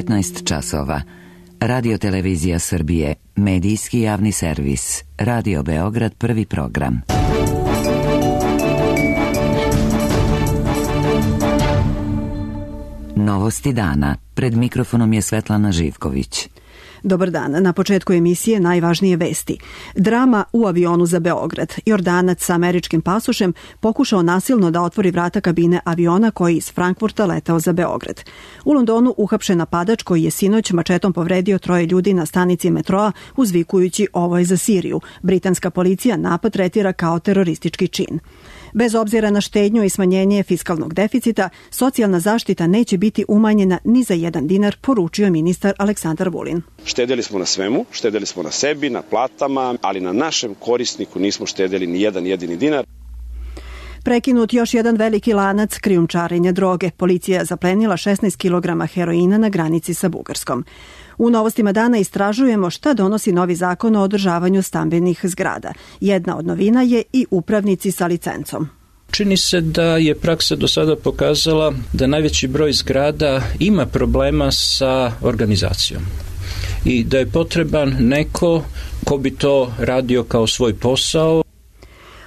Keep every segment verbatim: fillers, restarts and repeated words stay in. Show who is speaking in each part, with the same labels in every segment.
Speaker 1: devetnaest časova. Radio Televizija Srbije, medijski javni servis. Radio Beograd, prvi program. Novosti dana. Pred mikrofonom je Svetlana Živković.
Speaker 2: Dobar dan. Na početku emisije najvažnije vesti. Drama u avionu za Beograd. Jordanac sa američkim pasošem pokušao nasilno da otvori vrata kabine aviona koji iz Frankfurta letao za Beograd. U Londonu uhapšen napadač koji je sinoć mačetom povredio troje ljudi na stanici metroa uzvikujući ovo je za Siriju. Britanska policija napad tretira kao teroristički čin. Bez obzira na štednju i smanjenje fiskalnog deficita, socijalna zaštita neće biti umanjena ni za jedan dinar, poručio ministar Aleksandar Vulin.
Speaker 3: Štedeli smo na svemu, štedeli smo na sebi, na platama, ali na našem korisniku nismo štedeli ni jedan jedini dinar.
Speaker 2: Prekinut još jedan veliki lanac krijumčarenja droge. Policija je zaplenila šesnaest kilograma heroina na granici sa Bugarskom. U novostima dana istražujemo šta donosi novi zakon o održavanju stambenih zgrada. Jedna od novina je i upravnici sa licencom.
Speaker 4: Čini se da je praksa do sada pokazala da najveći broj zgrada ima problema sa organizacijom i da je potreban neko ko bi to radio kao svoj posao.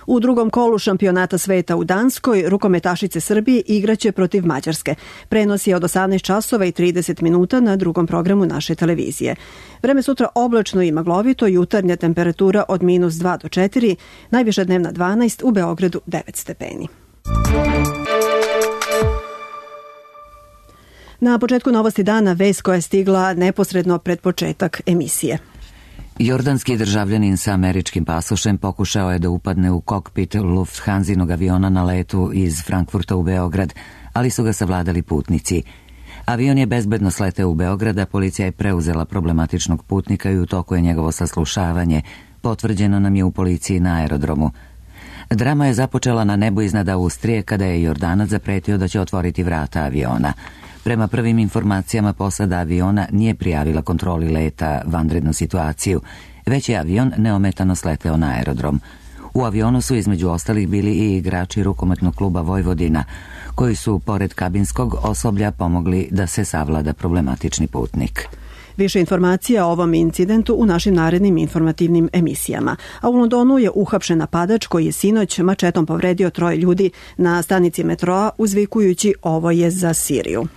Speaker 2: U drugom kolu šampionata sveta u Danskoj rukometašice Srbije igraće protiv Mađarske. Prenos je od osamnaest časova i trideset minuta na drugom programu naše televizije. Vreme sutra oblačno i maglovito, jutarnja temperatura od minus dva do četiri, najviša dnevna dvanaest, u Beogradu devet stepeni. Na početku novosti dana vest koja je stigla neposredno pred početak emisije.
Speaker 1: Jordanski državljanin sa američkim pasošem pokušao je da upadne u kokpit Lufthansinog aviona na letu iz Frankfurta u Beograd, ali su ga savladali putnici. Avion je bezbedno sleteo u Beograd, a policija je preuzela problematičnog putnika i u toku je njegovo saslušavanje, potvrđeno nam je u policiji na aerodromu. Drama je započela na nebu iznad Austrije kada je Jordanac zapretio da će otvoriti vrata aviona. Prema prvim informacijama, posada aviona nije prijavila kontroli leta vanrednu situaciju, već je avion neometano sleteo na aerodrom. U avionu su između ostalih bili i igrači rukometnog kluba Vojvodina, koji su pored kabinskog osoblja pomogli da se savlada problematični putnik.
Speaker 2: Više informacija o ovom incidentu u našim narednim informativnim emisijama. A u Londonu je uhapšen napadač koji je sinoć mačetom povredio troje ljudi na stanici metroa uzvikujući ovo je za Siriju.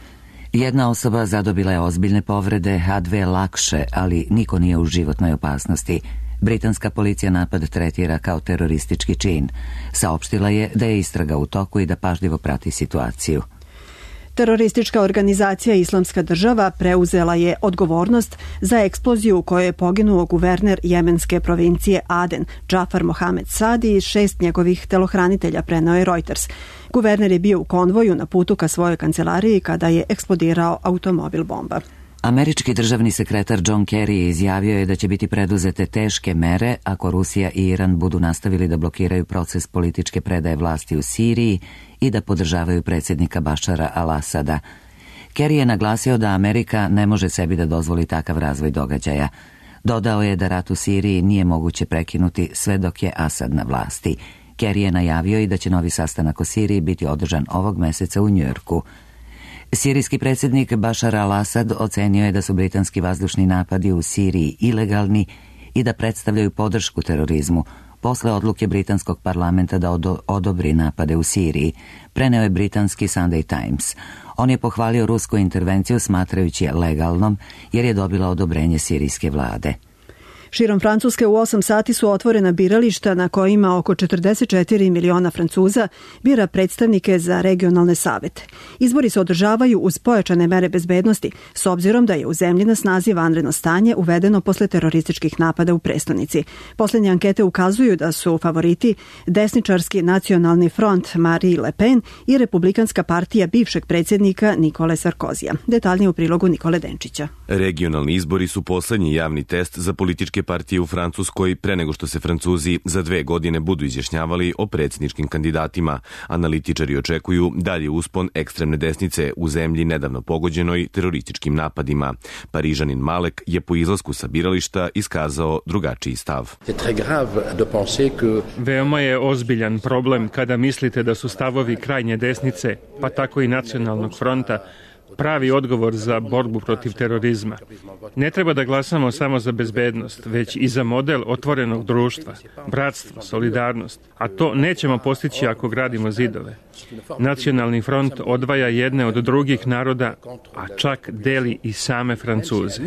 Speaker 1: Jedna osoba zadobila je ozbiljne povrede, a dve lakše, ali niko nije u životnoj opasnosti. Britanska policija napad tretira kao teroristički čin. Saopštila je da je istraga u toku i da pažljivo prati situaciju.
Speaker 2: Teroristička organizacija Islamska država preuzela je odgovornost za eksploziju u kojoj je poginuo guverner jemenske provincije Aden, Džafar Mohamed Sadi, i šest njegovih telohranitelja, preneo je Reuters. Guverner je bio u konvoju na putu ka svojoj kancelariji kada je eksplodirao automobil bomba.
Speaker 1: Američki državni sekretar John Kerry izjavio je da će biti preduzete teške mere ako Rusija i Iran budu nastavili da blokiraju proces političke predaje vlasti u Siriji i da podržavaju predsjednika Bašara al-Asada. Kerry je naglasio da Amerika ne može sebi da dozvoli takav razvoj događaja. Dodao je da rat u Siriji nije moguće prekinuti sve dok je Asad na vlasti. Kerry je najavio i da će novi sastanak o Siriji biti održan ovog meseca u Njujorku. Sirijski predsjednik Bašar al-Asad ocenio je da su britanski vazdušni napadi u Siriji ilegalni i da predstavljaju podršku terorizmu, posle odluke britanskog parlamenta da odobri napade u Siriji, preneo je britanski Sunday Times. On je pohvalio rusku intervenciju smatrajući je legalnom jer je dobila odobrenje sirijske vlade.
Speaker 2: Širom Francuske u osam sati su otvorena birališta na kojima oko četrdeset četiri miliona Francuza bira predstavnike za regionalne savete. Izbori se održavaju uz pojačane mere bezbednosti, s obzirom da je u zemlji na snazi vanredno stanje uvedeno posle terorističkih napada u prestonici. Poslednje ankete ukazuju da su favoriti desničarski nacionalni front Marine Le Pen i republikanska partija bivšeg predsjednika Nikole Sarkozija. Detaljnije u prilogu Nikole Denčića.
Speaker 5: Regionalni izbori su poslednji javni test za političke partije u Francuskoj pre nego što se Francuzi za dve godine budu izjašnjavali o predsjedničkim kandidatima. Analitičari očekuju dalje uspon ekstremne desnice u zemlji nedavno pogođenoj terorističkim napadima. Parižanin Malek je po izlasku sa birališta iskazao drugačiji stav.
Speaker 6: Veoma je ozbiljan problem kada mislite da su stavovi krajnje desnice, pa tako i nacionalnog fronta, pravi odgovor za borbu protiv terorizma. Ne treba da glasamo samo za bezbednost, već i za model otvorenog društva, bratstvo, solidarnost, a to nećemo postići ako gradimo zidove. Nacionalni front odvaja jedne od drugih naroda, a čak deli i same Francuze.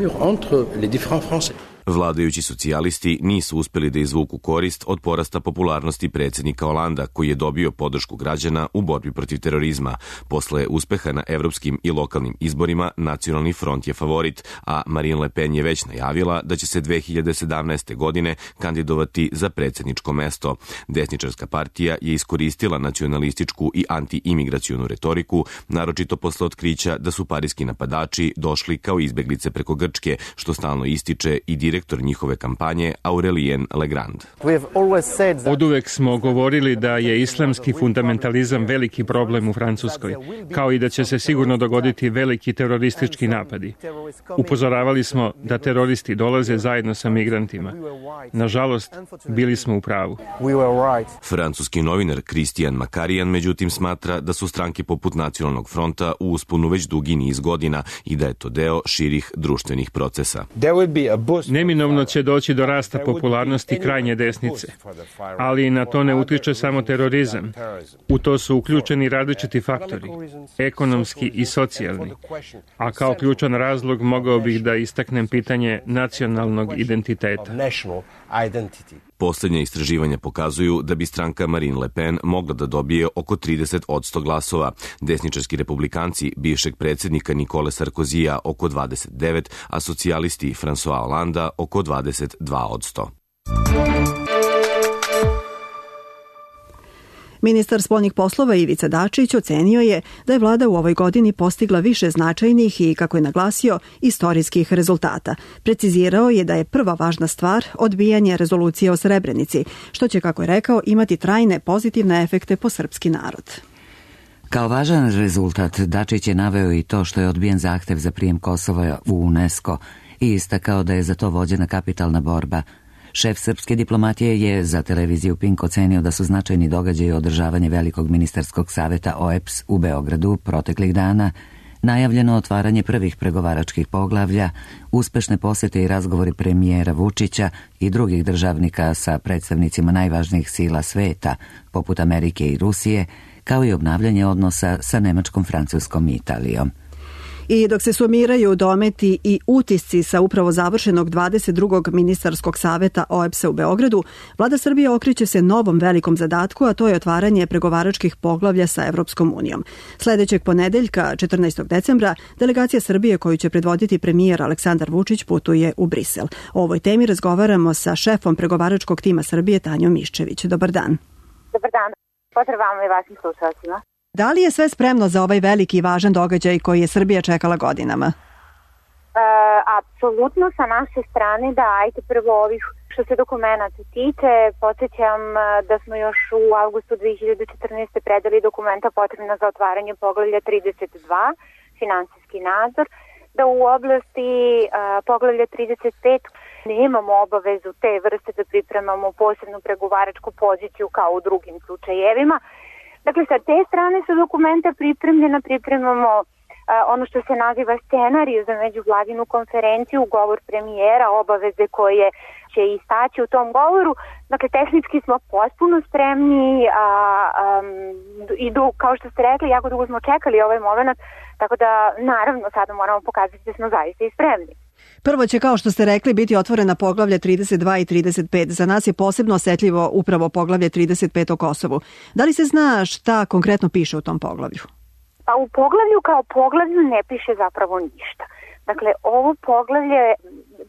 Speaker 5: Vladajući socijalisti nisu uspeli da izvuku korist od porasta popularnosti predsjednika Holanda, koji je dobio podršku građana u borbi protiv terorizma. Posle uspeha na evropskim i lokalnim izborima, Nacionalni front je favorit, a Marine Le Pen je već najavila da će se dve hiljade sedamnaeste. godine kandidovati za predsjedničko mesto. Desničarska partija je iskoristila nacionalističku i anti-imigracionu retoriku, naročito posle otkrića da su parijski napadači došli kao izbeglice preko Grčke, što stalno ističe i direktor njihove kampanje Aurelien Legrand.
Speaker 6: Oduvek smo govorili da je islamski fundamentalizam veliki problem u Francuskoj, kao i da će se sigurno dogoditi veliki teroristički napadi. Upozoravali smo da teroristi dolaze zajedno sa migrantima. Nažalost, bili smo u pravu.
Speaker 5: Francuski novinar Christian Macarian međutim smatra da su stranke poput Nacionalnog fronta u usponu već dugi niz godina i da je to deo širih društvenih procesa.
Speaker 6: Neminovno će doći do rasta popularnosti krajnje desnice, ali na to ne utiče samo terorizam. U to su uključeni različiti faktori, ekonomski i socijalni, a kao ključan razlog mogao bih da istaknem pitanje nacionalnog identiteta.
Speaker 5: Poslednja istraživanja pokazuju da bi stranka Marine Le Pen mogla da dobije oko trideset posto glasova, desničarski republikanci bivšeg predsjednika Nikole Sarkozija oko dvadeset devet, a socijalisti François Hollanda oko dvadeset dva posto.
Speaker 2: Ministar spoljnih poslova Ivica Dačić ocenio je da je vlada u ovoj godini postigla više značajnih i, kako je naglasio, istorijskih rezultata. Precizirao je da je prva važna stvar odbijanje rezolucije o Srebrenici, što će, kako je rekao, imati trajne pozitivne efekte po srpski narod.
Speaker 1: Kao važan rezultat Dačić je naveo i to što je odbijen zahtev za prijem Kosova u UNESCO i istakao da je za to vođena kapitalna borba. Šef srpske diplomatije je za televiziju Pink ocenio da su značajni događaji održavanje Velikog ministarskog saveta O E P S u Beogradu proteklih dana, najavljeno otvaranje prvih pregovaračkih poglavlja, uspešne posete i razgovori premijera Vučića i drugih državnika sa predstavnicima najvažnijih sila sveta, poput Amerike i Rusije, kao i obnavljanje odnosa sa Nemačkom, Francuskom i Italijom.
Speaker 2: I dok se sumiraju dometi i utisci sa upravo završenog dvadeset drugog ministarskog saveta O E P S-a u Beogradu, vlada Srbije okreće se novom velikom zadatku, a to je otvaranje pregovaračkih poglavlja sa Evropskom unijom. Sledećeg ponedeljka, četrnaestog decembra, delegacija Srbije koju će predvoditi premijer Aleksandar Vučić putuje u Brisel. O ovoj temi razgovaramo sa šefom pregovaračkog tima Srbije Tanjom Miščević. Dobar dan.
Speaker 7: Dobar dan. Pozdrav vama i vašim slušalcima.
Speaker 2: Da li je sve spremno za ovaj veliki i važan događaj koji je Srbija čekala godinama?
Speaker 7: E, apsolutno sa naše strane, da, ajte prvo ovih što se dokumenta tiče. Podsjećam da smo još u avgustu dve hiljade četrnaeste. predali dokumenta potrebna za otvaranje poglavlja trideset dva, finansijski nadzor, da u oblasti a, poglavlja trideset pet nemamo obavezu te vrste da pripremamo posebnu pregovaračku poziciju kao u drugim slučajevima. Dakle, sa te strane su dokumenta pripremljena, pripremamo a, ono što se naziva scenariju za međuvladinu konferenciju, govor premijera, obaveze koje će istaći u tom govoru. Dakle, tehnički smo potpuno spremni a, a, i du, kao što ste rekli, jako dugo smo čekali ovaj moment, tako da naravno sada moramo pokazati da smo zaista i spremni.
Speaker 2: Prvo će, kao što ste rekli, biti otvorena poglavlja trideset dva i trideset pet. Za nas je posebno osetljivo upravo poglavlje trideset pet o Kosovu. Da li se zna šta konkretno piše u tom poglavlju?
Speaker 7: Pa u poglavlju kao poglavlju ne piše zapravo ništa. Dakle, ovo poglavlje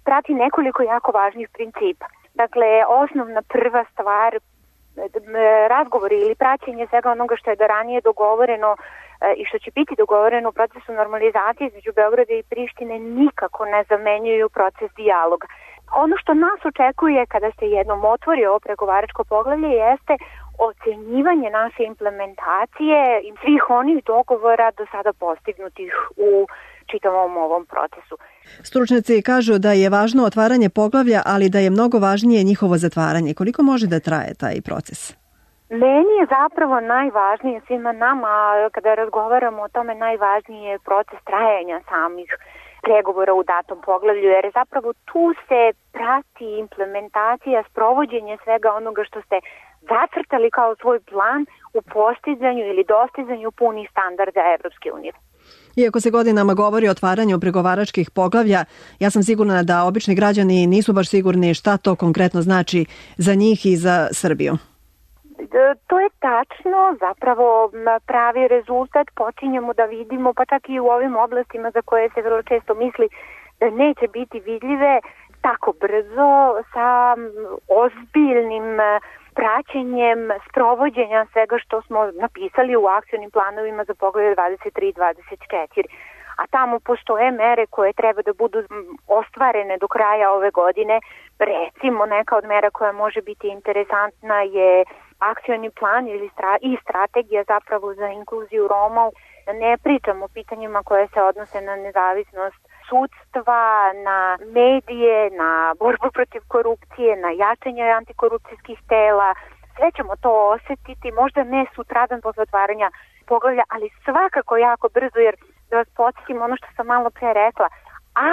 Speaker 7: prati nekoliko jako važnih principa. Dakle, osnovna prva stvar, razgovori ili praćenje svega onoga što je do ranije dogovoreno i što će biti dogovoreno u procesu normalizacije između Beograda i Prištine nikako ne zamenjuju proces dijaloga. Ono što nas očekuje kada se jednom otvori ovo pregovaračko poglavlje jeste ocenjivanje naše implementacije i svih onih dogovora do sada postignutih u čitavom ovom procesu.
Speaker 2: Stručnjaci kažu da je važno otvaranje poglavlja, ali da je mnogo važnije njihovo zatvaranje. Koliko može da traje taj proces?
Speaker 7: Meni je zapravo najvažnije svima nama, kada razgovaramo o tome, najvažnije je proces trajanja samih pregovora u datom poglavlju, jer zapravo tu se prati implementacija, sprovođenje svega onoga što ste zacrtali kao svoj plan u postizanju ili dostizanju punih standarda Evropske unije.
Speaker 2: Iako se godinama govori o otvaranju pregovaračkih poglavlja, ja sam sigurna da obični građani nisu baš sigurni šta to konkretno znači za njih i za Srbiju.
Speaker 7: To je tačno, zapravo pravi rezultat počinjemo da vidimo, pa čak i u ovim oblastima za koje se vrlo često misli da neće biti vidljive tako brzo, sa ozbiljnim praćenjem sprovođenja svega što smo napisali u akcionim planovima za poglavlje dvadeset tri i dvadeset četiri. A tamo postoje mere koje treba da budu ostvarene do kraja ove godine. Recimo, neka od mera koja može biti interesantna je akcioni plan ili stra- i strategija zapravo za inkluziju Roma. Ne pričamo o pitanjima koje se odnose na nezavisnost sudstva, na medije, na borbu protiv korupcije, na jačanje antikorupcijskih tela. Sve ćemo to osetiti, možda ne sutradan posle otvaranja poglavlja, ali svakako jako brzo, jer da vas podsjetim ono što sam malo pre rekla,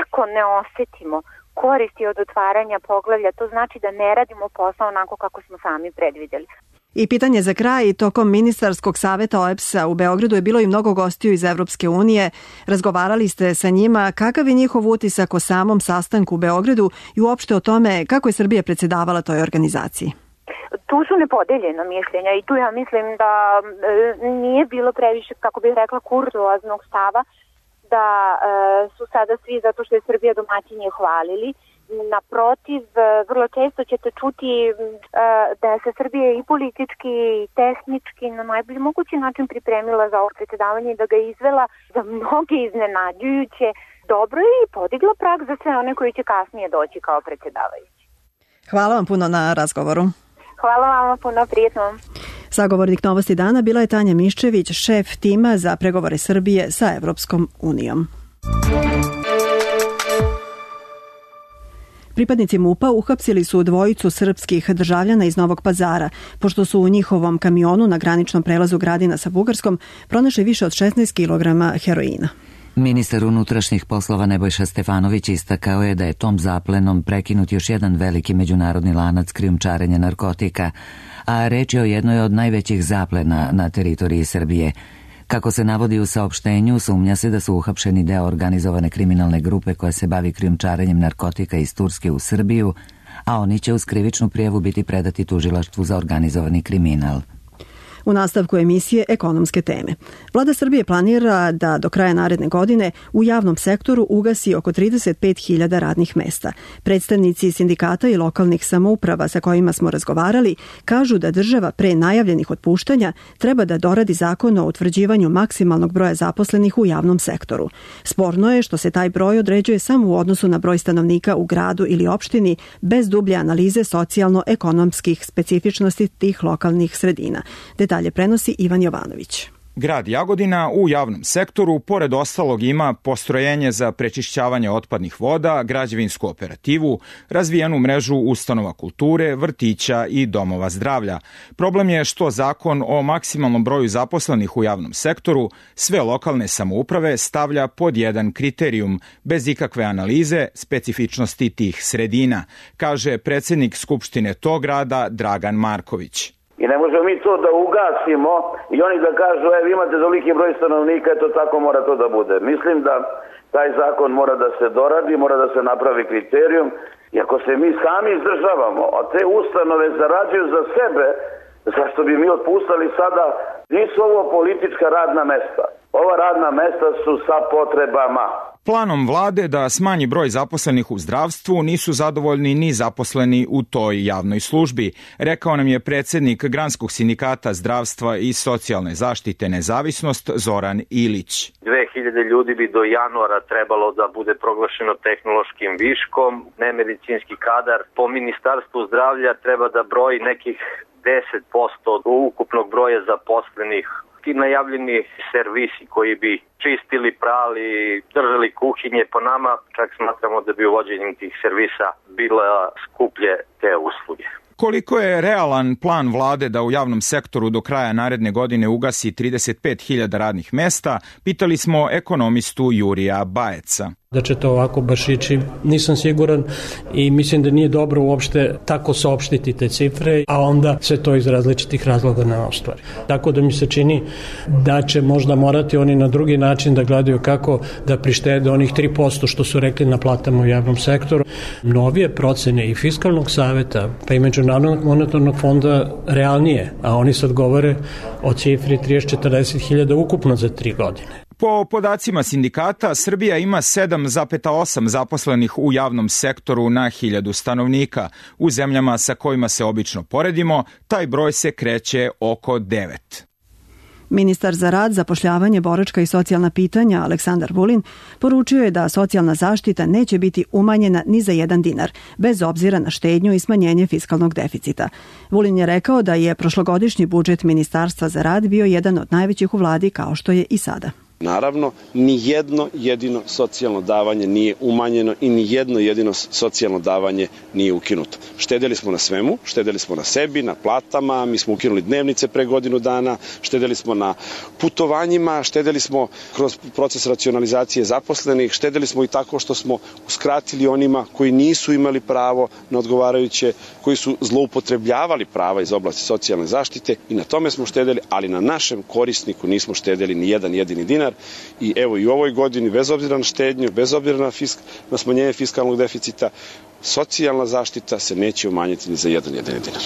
Speaker 7: ako ne osetimo koristi od otvaranja poglavlja, to znači da ne radimo posao onako kako smo sami predvidjeli.
Speaker 2: I pitanje za kraj, tokom ministarskog saveta O E B S-a u Beogradu je bilo i mnogo gostiju iz Evropske unije. Razgovarali ste sa njima, kakav je njihov utisak o samom sastanku u Beogradu i uopšte o tome kako je Srbija predsjedavala toj organizaciji?
Speaker 7: Tu su nepodeljena mišljenja i tu ja mislim da e, nije bilo previše, kako bih rekla, kurtoaznog stava, da e, su sada svi zato što je Srbija domaćinje hvalili. Naprotiv, vrlo često ćete čuti e, da se Srbija i politički i tehnički na najbolji mogući način pripremila za ovo predsjedavanje i da ga izvela za mnoge iznenađujuće dobro i podigla prag za sve one koji će kasnije doći kao predsjedavajući.
Speaker 2: Hvala vam puno na razgovoru.
Speaker 7: Hvala vam puno, prijetno.
Speaker 2: Sagovornik Novosti dana bila je Tanja Miščević, šef tima za pregovore Srbije sa Evropskom unijom. Pripadnici MUP-a uhapsili su dvojicu srpskih državljana iz Novog Pazara, pošto su u njihovom kamionu na graničnom prelazu Gradina sa Bugarskom pronašli više od šesnaest kilograma heroina.
Speaker 1: Ministar unutrašnjih poslova Nebojša Stefanović istakao je da je tom zaplenom prekinut još jedan veliki međunarodni lanac krijumčarenja narkotika, a reč je o jednoj od najvećih zaplena na teritoriji Srbije. Kako se navodi u saopštenju, sumnja se da su uhapšeni deo organizovane kriminalne grupe koja se bavi krijumčarenjem narkotika iz Turske u Srbiju, a oni će uz krivičnu prijavu biti predati tužilaštvu za organizovani kriminal.
Speaker 2: U nastavku emisije ekonomske teme. Vlada Srbije planira da do kraja naredne godine u javnom sektoru ugasi oko trideset pet hiljada radnih mesta. Predstavnici sindikata i lokalnih samouprava sa kojima smo razgovarali kažu da država pre najavljenih otpuštanja treba da doradi zakon o utvrđivanju maksimalnog broja zaposlenih u javnom sektoru. Sporno je što se taj broj određuje samo u odnosu na broj stanovnika u gradu ili opštini bez dublje analize socijalno-ekonomskih specifičnosti tih lokalnih sredina. Detalje prenosi Ivan Jovanović.
Speaker 8: Grad Jagodina u javnom sektoru, pored ostalog, ima postrojenje za prečišćavanje otpadnih voda, građevinsku operativu, razvijenu mrežu ustanova kulture, vrtića i domova zdravlja. Problem je što zakon o maksimalnom broju zaposlenih u javnom sektoru sve lokalne samouprave stavlja pod jedan kriterijum, bez ikakve analize specifičnosti tih sredina, kaže predsjednik Skupštine tog grada Dragan Marković.
Speaker 9: I ne možemo mi to da ugasimo i oni da kažu, e, vi imate toliki broj stanovnika, to tako mora to da bude. Mislim da taj zakon mora da se doradi, mora da se napravi kriterijum i ako se mi sami izdržavamo, a te ustanove zarađuju za sebe, zašto bi mi otpustali sada? Nisu ovo politička radna mesta. Ova radna mesta su sa potrebama.
Speaker 8: Planom vlade da smanji broj zaposlenih u zdravstvu nisu zadovoljni ni zaposleni u toj javnoj službi, rekao nam je predsjednik Granskog sindikata zdravstva i socijalne zaštite Nezavisnost Zoran Ilić.
Speaker 10: dve hiljade ljudi bi do januara trebalo da bude proglašeno tehnološkim viškom, nemedicinski kadar po Ministarstvu zdravlja treba da broji nekih deset posto od ukupnog broja zaposlenih. Ti najavljeni servisi koji bi čistili, prali, držali kuhinje, po nama čak smatramo da bi uvođenjem tih servisa bila skuplje te usluge.
Speaker 8: Koliko je realan plan vlade da u javnom sektoru do kraja naredne godine ugasi trideset pet hiljada radnih mesta, pitali smo ekonomistu Jurija Bajeca.
Speaker 11: Da će to ovako baš ići, nisam siguran i mislim da nije dobro uopšte tako saopštiti te cifre, a onda sve to iz različitih razloga ne ostvari. Tako da mi se čini da će možda morati oni na drugi način da gledaju kako da prištede onih tri posto što su rekli na platama u javnom sektoru. Novije procene i Fiskalnog saveta pa i Međunarodnog monetarnog fonda realnije, a oni sad govore o cifri trideset do četrdeset hiljada ukupno za tri godine.
Speaker 8: Po podacima sindikata, Srbija ima sedam zarez osam zaposlenih u javnom sektoru na hiljadu stanovnika. U zemljama sa kojima se obično poredimo, taj broj se kreće oko devet.
Speaker 2: Ministar za rad, zapošljavanje, boračka i socijalna pitanja Aleksandar Vulin poručio je da socijalna zaštita neće biti umanjena ni za jedan dinar, bez obzira na štednju i smanjenje fiskalnog deficita. Vulin je rekao da je prošlogodišnji budžet Ministarstva za rad bio jedan od najvećih u vladi, kao što je i sada.
Speaker 3: Naravno, ni jedno jedino socijalno davanje nije umanjeno i ni jedno jedino socijalno davanje nije ukinuto. Štedeli smo na svemu, štedeli smo na sebi, na platama, mi smo ukinuli dnevnice pre godinu dana, štedeli smo na putovanjima, štedeli smo kroz proces racionalizacije zaposlenih, štedeli smo i tako što smo uskratili onima koji nisu imali pravo na odgovarajuće, koji su zloupotrebljavali prava iz oblasti socijalne zaštite i na tome smo štedeli, ali na našem korisniku nismo štedeli ni jedan jedini dinar. I evo i u ovoj godini, bez obzira na štednju, bez obzira na, fisk, na smanjenje fiskalnog deficita, socijalna zaštita se neće umanjiti ni za jedan jedini dinar.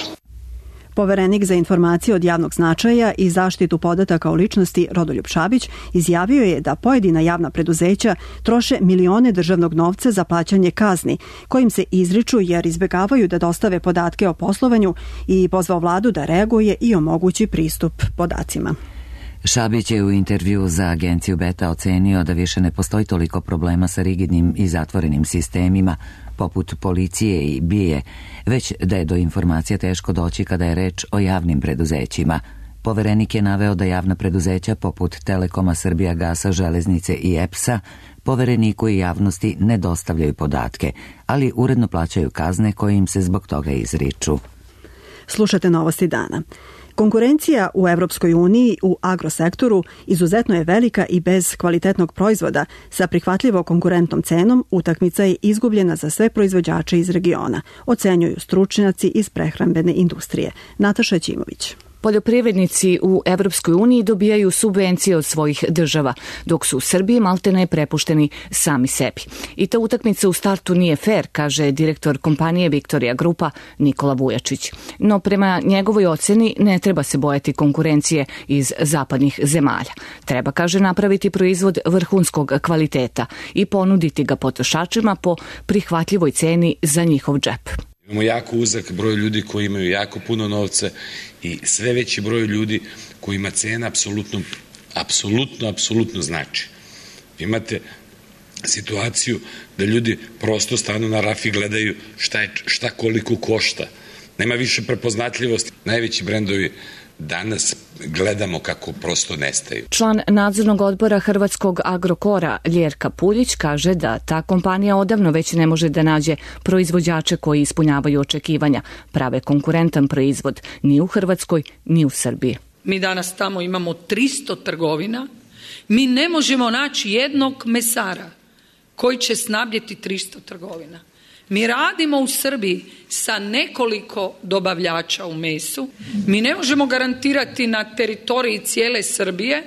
Speaker 2: Poverenik za informacije od javnog značaja i zaštitu podataka o ličnosti Rodoljub Šabić izjavio je da pojedina javna preduzeća troše milione državnog novca za plaćanje kazni, kojim se izriču jer izbegavaju da dostave podatke o poslovanju i pozvao vladu da reaguje i omogući pristup podacima.
Speaker 1: Šabić je u intervju za agenciju Beta ocenio da više ne postoji toliko problema sa rigidnim i zatvorenim sistemima, poput policije i B I A, već da je do informacija teško doći kada je reč o javnim preduzećima. Poverenik je naveo da javna preduzeća poput Telekoma, Srbijagasa, Železnice i E P S-a Povereniku i javnosti ne dostavljaju podatke, ali uredno plaćaju kazne koje im se zbog toga izriču.
Speaker 2: Slušate Novosti dana. Konkurencija u Evropskoj uniji u agrosektoru izuzetno je velika i bez kvalitetnog proizvoda sa prihvatljivo konkurentnom cenom utakmica je izgubljena za sve proizvođače iz regiona, ocenjuju stručnjaci iz prehrambene industrije. Nataša Ćimović.
Speaker 12: Poljoprivrednici u Evropskoj uniji dobijaju subvencije od svojih država, dok su u Srbiji maltene prepušteni sami sebi. I ta utakmica u startu nije fair, kaže direktor kompanije Viktorija Grupa Nikola Vujačić. No prema njegovoj oceni ne treba se bojati konkurencije iz zapadnih zemalja. Treba, kaže, napraviti proizvod vrhunskog kvaliteta i ponuditi ga potrošačima po prihvatljivoj ceni za njihov džep.
Speaker 13: Imamo jako uzak broj ljudi koji imaju jako puno novca i sve veći broj ljudi kojima cena apsolutno, apsolutno, apsolutno znači. Imate situaciju da ljudi prosto stanu na raf i gledaju šta, je, šta koliko košta. Nema više prepoznatljivosti. Najveći brendovi danas gledamo kako prosto nestaju.
Speaker 12: Član nadzornog odbora Hrvatskog Agrokora Ljerka Puljić kaže da ta kompanija odavno već ne može da nađe proizvođače koji ispunjavaju očekivanja, prave konkurentan proizvod ni u Hrvatskoj ni u Srbiji.
Speaker 14: Mi danas tamo imamo tristo trgovina, mi ne možemo naći jednog mesara koji će snabdjeti tristo trgovina. Mi radimo u Srbiji sa nekoliko dobavljača u mesu. Mi ne možemo garantirati na teritoriji cijele Srbije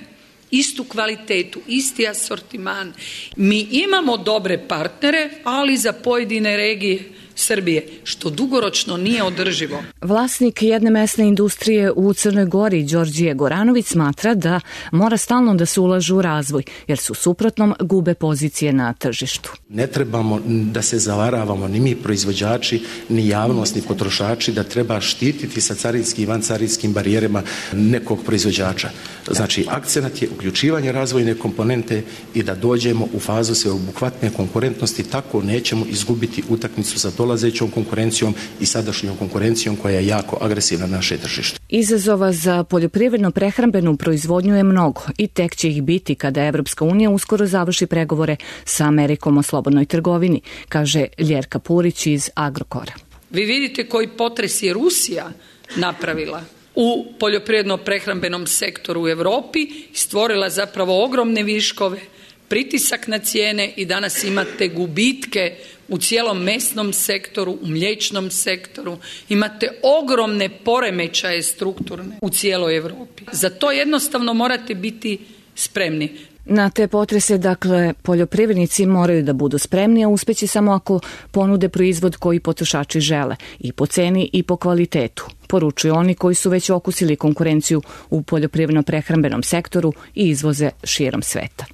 Speaker 14: istu kvalitetu, isti asortiman. Mi imamo dobre partnere, ali za pojedine regije Srbije, što dugoročno nije održivo.
Speaker 12: Vlasnik jedne mesne industrije u Crnoj Gori, Đorđije Goranović, smatra da mora stalno da se ulažu u razvoj, jer su suprotnom gube pozicije na tržištu.
Speaker 15: Ne trebamo da se zavaravamo ni mi proizvođači, ni javnost, ni potrošači, da treba štititi sa carinskim i vancarinskim barijerama nekog proizvođača. Znači, akcenat je uključivanje razvojne komponente i da dođemo u fazu sveobuhvatne konkurentnosti, tako nećemo izgubiti utakmicu za dolazećom konkurencijom i sadašnjom konkurencijom koja je jako agresivna na naše tržište.
Speaker 12: Izazova za poljoprivredno-prehrambenu proizvodnju je mnogo i tek će ih biti kada Evropska unija uskoro završi pregovore sa Amerikom o slobodnoj trgovini, kaže Ljerka Purić iz Agrokora.
Speaker 14: Vi vidite koji potres je Rusija napravila u poljoprivredno-prehrambenom sektoru u Europi, stvorila zapravo ogromne viškove, pritisak na cijene i danas imate gubitke u cijelom mesnom sektoru, u mliječnom sektoru, imate ogromne poremećaje strukturne u cijeloj Europi. Za to jednostavno morate biti spremni.
Speaker 12: Na te potrese, dakle, poljoprivrednici moraju da budu spremni, a uspeći samo ako ponude proizvod koji potrošači žele, i po ceni i po kvalitetu, poručuju oni koji su već okusili konkurenciju u poljoprivredno-prehrambenom sektoru i izvoze širom sveta.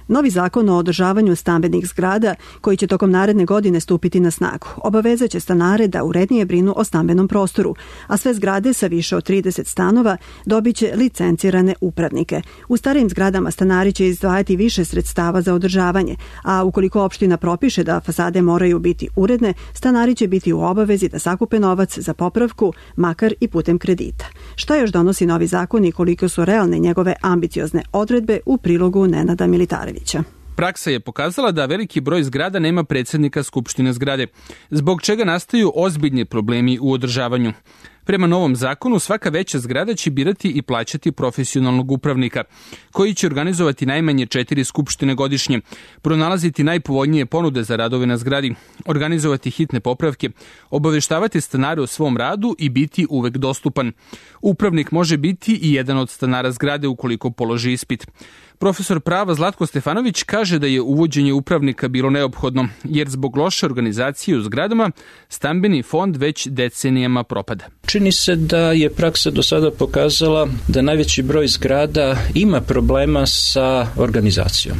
Speaker 2: Novi zakon o održavanju stambenih zgrada, koji će tokom naredne godine stupiti na snagu, obavezaće stanare da urednije brinu o stambenom prostoru, a sve zgrade sa više od trideset stanova dobiće licencirane upravnike. U starijim zgradama stanari će izdvajati više sredstava za održavanje, a ukoliko opština propiše da fasade moraju biti uredne, stanari će biti u obavezi da sakupe novac za popravku, makar i putem kredita. Šta još donosi novi zakon i koliko su realne njegove ambiciozne odredbe, u prilogu Nenada Militarevića.
Speaker 16: Praksa je pokazala da veliki broj zgrada nema predsjednika skupštine zgrade, zbog čega nastaju ozbiljni problemi u održavanju. Prema novom zakonu, svaka veća zgrada će birati i plaćati profesionalnog upravnika, koji će organizovati najmanje četiri skupštine godišnje, pronalaziti najpovoljnije ponude za radove na zgradi, organizovati hitne popravke, obaveštavati stanare o svom radu i biti uvek dostupan. Upravnik može biti i jedan od stanara zgrade ukoliko položi ispit. Profesor prava Zlatko Stefanović kaže da je uvođenje upravnika bilo neophodno, jer zbog loše organizacije u zgradama stambeni fond već decenijama propada.
Speaker 4: Čini se da je praksa do sada pokazala da najveći broj zgrada ima problema sa organizacijom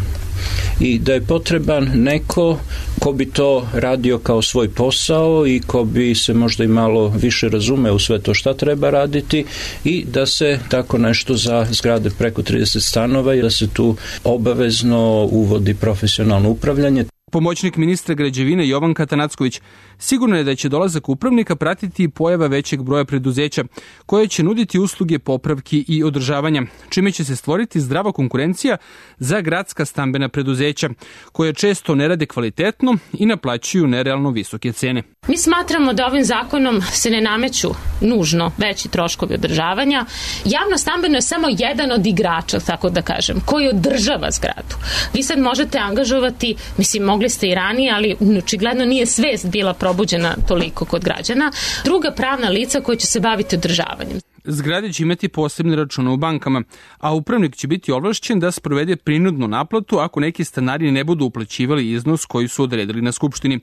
Speaker 4: i da je potreban neko ko bi to radio kao svoj posao i ko bi se možda i malo više razume u sve to šta treba raditi i da se tako nešto za zgrade preko trideset stanova i da se tu obavezno uvodi profesionalno upravljanje.
Speaker 16: Pomoćnik ministra građevine Jovan Katanacković sigurno je da će dolazak upravnika pratiti pojava većeg broja preduzeća koje će nuditi usluge popravki i održavanja, čime će se stvoriti zdrava konkurencija za gradska stambena preduzeća, koje često ne rade kvalitetno i naplaćuju nerealno visoke cene.
Speaker 17: Mi smatramo da ovim zakonom se ne nameću nužno veći troškovi održavanja. Javno stambeno je samo jedan od igrača, tako da kažem, koji održava zgradu. Vi sad možete angažovati, mislim, mogli ste i ranije, ali očigledno nije svest bila probuđena toliko kod građana, druga pravna lica koja će se baviti održavanjem.
Speaker 16: Zgrade će imati posebne račune u bankama, a upravnik će biti ovlašćen da sprovede prinudnu naplatu ako neki stanari ne budu uplaćivali iznos koji su odredili na skupštini.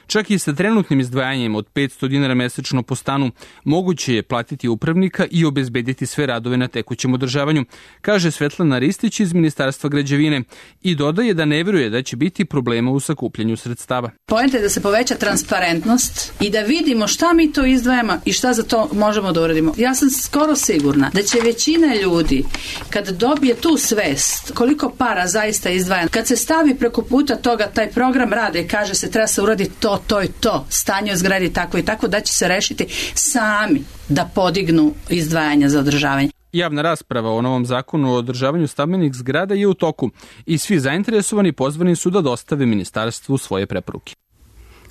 Speaker 16: Čak i sa trenutnim izdvajanjem od petsto dinara mesečno po stanu moguće je platiti upravnika i obezbediti sve radove na tekućem održavanju, kaže Svetlana Ristić iz Ministarstva građevine i dodaje da ne veruje da će biti problema u sakupljanju sredstava.
Speaker 18: Poenta je da se poveća transparentnost i da vidimo šta mi to izdvajamo i šta za to možemo da uradimo. Ja sam skoro sigurna da će većina ljudi, kad dobije tu svest koliko para zaista izdvaja, kad se stavi preko puta toga taj program rade i kaže se treba se uraditi to, to i to, stanje u zgradi tako i tako, da će se rešiti sami da podignu izdvajanja za održavanje.
Speaker 16: Javna rasprava o novom zakonu o održavanju stambenih zgrada je u toku i svi zainteresovani pozvani su da dostave ministarstvu svoje preporuke.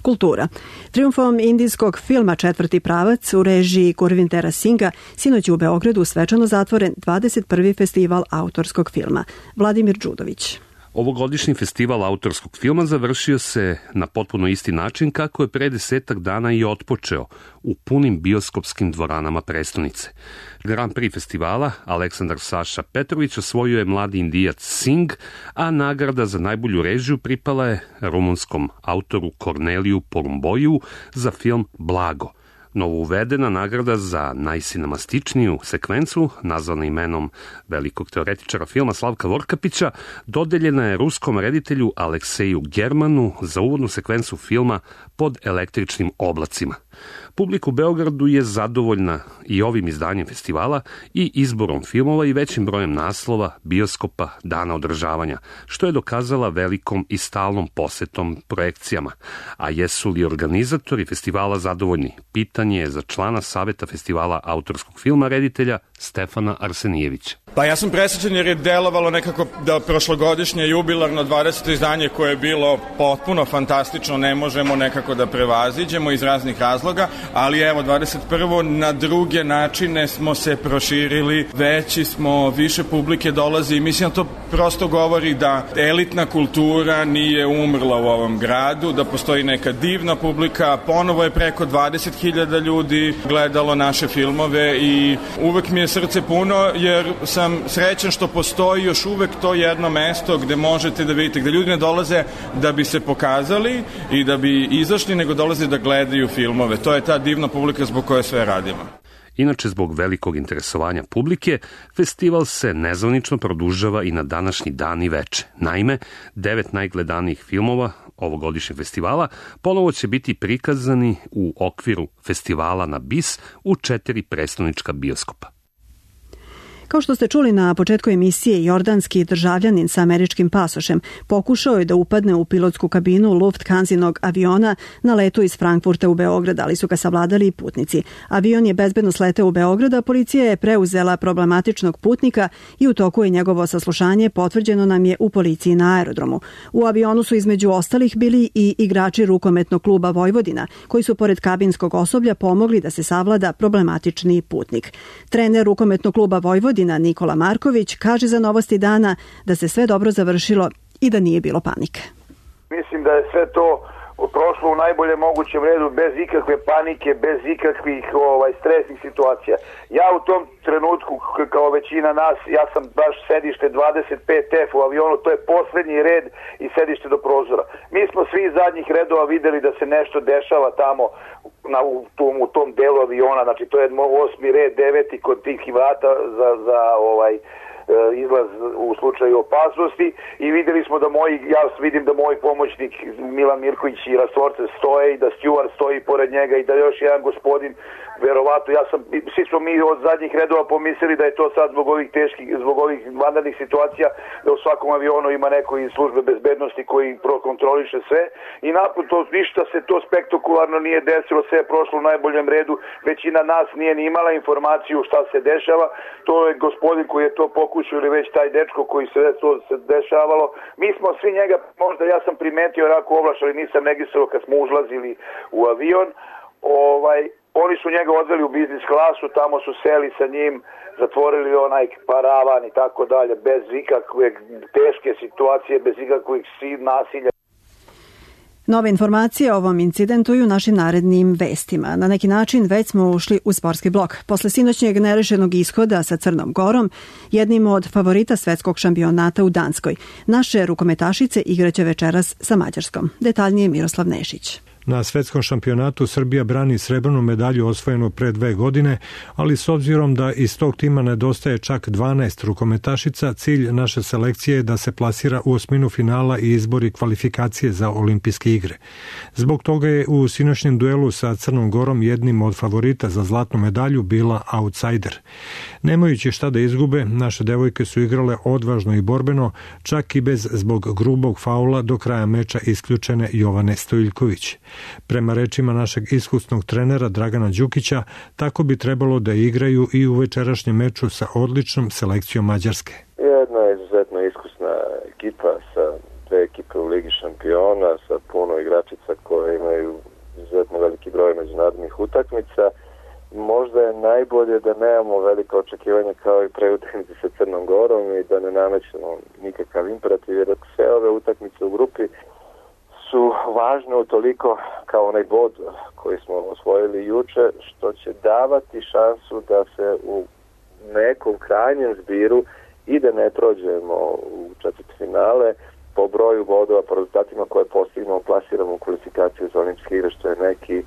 Speaker 2: Kultura. Triumfom indijskog filma Četvrti pravac u režiji Gurvindera Singha sinoć je u Beogradu svečano zatvoren dvadeset prvi festival autorskog filma. Vladimir Đudović.
Speaker 19: Ovogodišnji festival autorskog filma završio se na potpuno isti način kako je pre desetak dana i otpočeo, u punim bioskopskim dvoranama prestonice. Grand Prix festivala Aleksandar Saša Petrović osvojio je mladi Indijac Singh, a nagrada za najbolju režiju pripala je rumunskom autoru Korneliju Porumboju za film Blago. Novouvedena nagrada za najsinemastičniju sekvencu, nazvana imenom velikog teoretičara filma Slavka Vorkapića, dodeljena je ruskom reditelju Alekseju Germanu za uvodnu sekvencu filma Pod električnim oblacima. Publika u Beogradu je zadovoljna i ovim izdanjem festivala i izborom filmova i većim brojem naslova, bioskopa, dana održavanja, što je dokazala velikom i stalnom posetom projekcijama. A jesu li organizatori festivala zadovoljni? Pitanje je za člana Saveta festivala autorskog filma reditelja Stefana Arsenijevića.
Speaker 20: Pa ja sam presrećen jer je delovalo nekako da prošlogodišnje jubilarno dvadeseto izdanje koje je bilo potpuno fantastično ne možemo nekako da prevaziđemo iz raznih razloga. razloga, ali evo dvadeset prvo na druge načine smo se proširili, veći smo, više publike dolazi i mislim da to prosto govori da elitna kultura nije umrla u ovom gradu, da postoji neka divna publika, ponovo je preko dvadeset hiljada ljudi gledalo naše filmove i uvek mi je srce puno jer sam srećan što postoji još uvek to jedno mesto gde možete da vidite, gde ljudi ne dolaze da bi se pokazali i da bi izašli, nego dolaze da gledaju filmove. To je ta divna publika zbog koje sve radimo.
Speaker 19: Inače, zbog velikog interesovanja publike, festival se nezvanično produžava i na današnji dan i veče. Naime, devet najgledanijih filmova ovogodišnjeg festivala ponovo će biti prikazani u okviru festivala na Bis u četiri prestonička bioskopa.
Speaker 2: Kao što ste čuli na početku emisije, jordanski državljanin sa američkim pasošem pokušao je da upadne u pilotsku kabinu Lufthansinog aviona na letu iz Frankfurta u Beograd, ali su ga savladali putnici. Avion je bezbedno sleteo u Beograd, a policija je preuzela problematičnog putnika i u toku je njegovo saslušanje, potvrđeno nam je u policiji na aerodromu. U avionu su između ostalih bili i igrači rukometnog kluba Vojvodina, koji su pored kabinskog osoblja pomogli da se savlada problematični putnik. Trener rukometnog kluba Vojvodina Nikola Marković kaže za Novosti dana da se sve dobro završilo i da nije bilo panike.
Speaker 9: Mislim da je sve to prošlo u najbolje mogućem redu, bez ikakve panike, bez ikakvih ovaj, stresnih situacija. Ja u tom trenutku, kao većina nas, ja sam baš sedište dvadeset pet F u avionu, to je poslednji red i sedište do prozora. Mi smo svi iz zadnjih redova videli da se nešto dešava tamo na, u, tom, u tom delu aviona, znači to je osmi red, deveti kod tih vrata za, za ovaj, izlaz u slučaju opasnosti i videli smo da moji, ja vidim da moj pomoćnik Milan Mirković i Rastvorce stoje i da stjuard stoji pored njega i da još jedan gospodin, verovatno, ja sam, svi smo mi od zadnjih redova pomislili da je to sad zbog ovih teških, zbog ovih vanrednih situacija, da u svakom avionu ima neko iz službe bezbednosti koji prokontroliše sve i napod to ništa se to spektakularno nije desilo, sve je prošlo u najboljem redu, većina nas nije ni imala informaciju šta se dešava, to je gospodin koji je to pokušao ili već taj dečko koji se to se dešavalo. Mi smo svi njega, možda ja sam primetio rako ovlaš, ali nisam registrovao kad smo užlazili u avion, ovaj, oni su njega odveli u biznis klasu, tamo su seli sa njim, zatvorili onaj paravan i tako dalje, bez ikakve teške situacije, bez ikakvih nasilja.
Speaker 2: Nove informacije o ovom incidentu i u našim narednim vestima. Na neki način već smo ušli u sportski blok. Posle sinoćnjeg nerešenog ishoda sa Crnom Gorom, jednim od favorita svetskog šampionata u Danskoj, naše rukometašice igraće večeras sa Mađarskom. Detaljnije Miroslav Nešić.
Speaker 21: Na svetskom šampionatu Srbija brani srebrnu medalju osvojenu pre dve godine, ali s obzirom da iz tog tima nedostaje čak dvanaest rukometašica, cilj naše selekcije je da se plasira u osminu finala i izbori kvalifikacije za olimpijske igre. Zbog toga je u sinoćnjem duelu sa Crnom Gorom jednim od favorita za zlatnu medalju bila outsider. Nemajući šta da izgube, naše devojke su igrale odvažno i borbeno, čak i bez zbog grubog faula do kraja meča isključene Jovane Stojiljković. Prema rečima našeg iskusnog trenera Dragana Đukića, tako bi trebalo da igraju i u večerašnjem meču sa odličnom selekcijom Mađarske.
Speaker 22: Jedna izuzetno iskusna ekipa sa dve ekipe u Ligi šampiona, sa puno igračica koje imaju izuzetno veliki broj međunarodnih utakmica. Možda je najbolje da nemamo velika očekivanja kao i pre utakmice sa Crnom Gorom i da ne namećemo nikakav imperativ, jer sve ove utakmice u grupi su važne utoliko kao onaj bod koji smo osvojili juče, što će davati šansu da se u nekom krajnjem zbiru i da ne prođemo u četvrtfinale po broju bodova, po rezultatima koje postignemo, plasiramo u kvalifikaciju za olimpijske igre, što je neki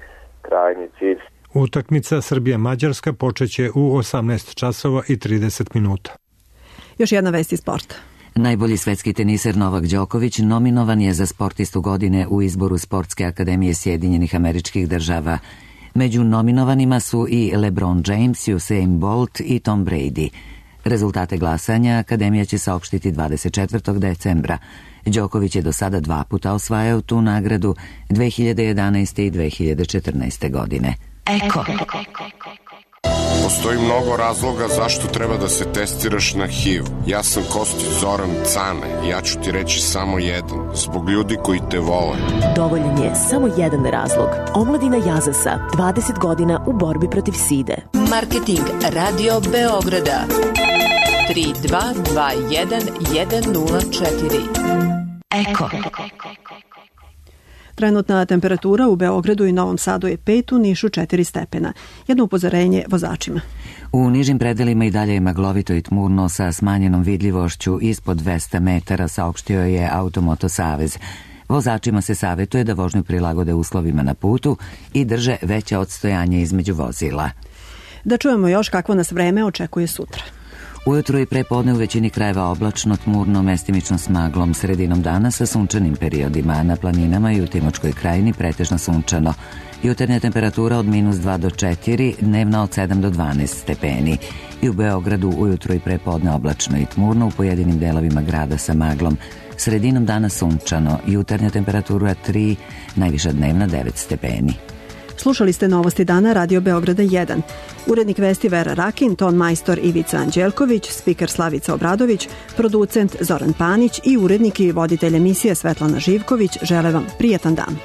Speaker 22: krajnji cilj.
Speaker 21: Utakmica Srbija-Mađarska počeće u osamnaest časova i trideset minuta.
Speaker 2: Još jedna vest iz sporta.
Speaker 1: Najbolji svetski teniser Novak Đoković nominovan je za sportistu godine u izboru Sportske akademije Sjedinjenih Američkih Država. Među nominovanima su i LeBron James, Usain Bolt i Tom Brady. Rezultate glasanja akademija će saopštiti dvadeset četvrtog decembra. Đoković je do sada dva puta osvajao tu nagradu, dve hiljade jedanaeste. i dve hiljade četrnaeste. godine.
Speaker 12: Eko.
Speaker 5: Postoji mnogo razloga zašto treba da se testiraš na H I V. Ja sam Kostić Zoran Cane i ja ću ti reći samo jedan. Zbog ljudi koji te vole.
Speaker 6: Dovoljan je samo jedan razlog. Omladina Jazasa, dvadeset godina u borbi protiv side.
Speaker 23: Marketing Radio Beograda tri dva dva jedan jedan nula četiri. Eko.
Speaker 2: Trenutna temperatura u Beogradu i Novom Sadu je pet, u Nišu četiri stepena. Jedno upozorenje vozačima.
Speaker 1: U nižim predelima i dalje je maglovito i tmurno sa smanjenom vidljivošću ispod dvesta metara, saopštio je Automoto Savez. Vozačima se savjetuje da vožnju prilagode uslovima na putu i drže veće odstojanje između vozila.
Speaker 2: Da čujemo još kakvo nas vreme očekuje sutra.
Speaker 1: Ujutro i prepodne u većini krajeva oblačno, tmurno, mestimično s maglom, sredinom dana sa sunčanim periodima. Na planinama i u Timočkoj krajini pretežno sunčano. Jutarnja temperatura od minus dva do četiri, dnevna od sedam do dvanaest stepeni. I u Beogradu ujutro i prepodne oblačno i tmurno, u pojedinim delovima grada sa maglom. Sredinom dana sunčano, jutarnja temperatura tri, najviša dnevna devet stepeni.
Speaker 2: Slušali ste Novosti dana Radio Beograda jedan. Urednik vesti Vera Rakin, ton majstor Ivica Anđelković, spiker Slavica Obradović, producent Zoran Panić i urednik i voditelj emisije Svetlana Živković žele vam prijetan dan.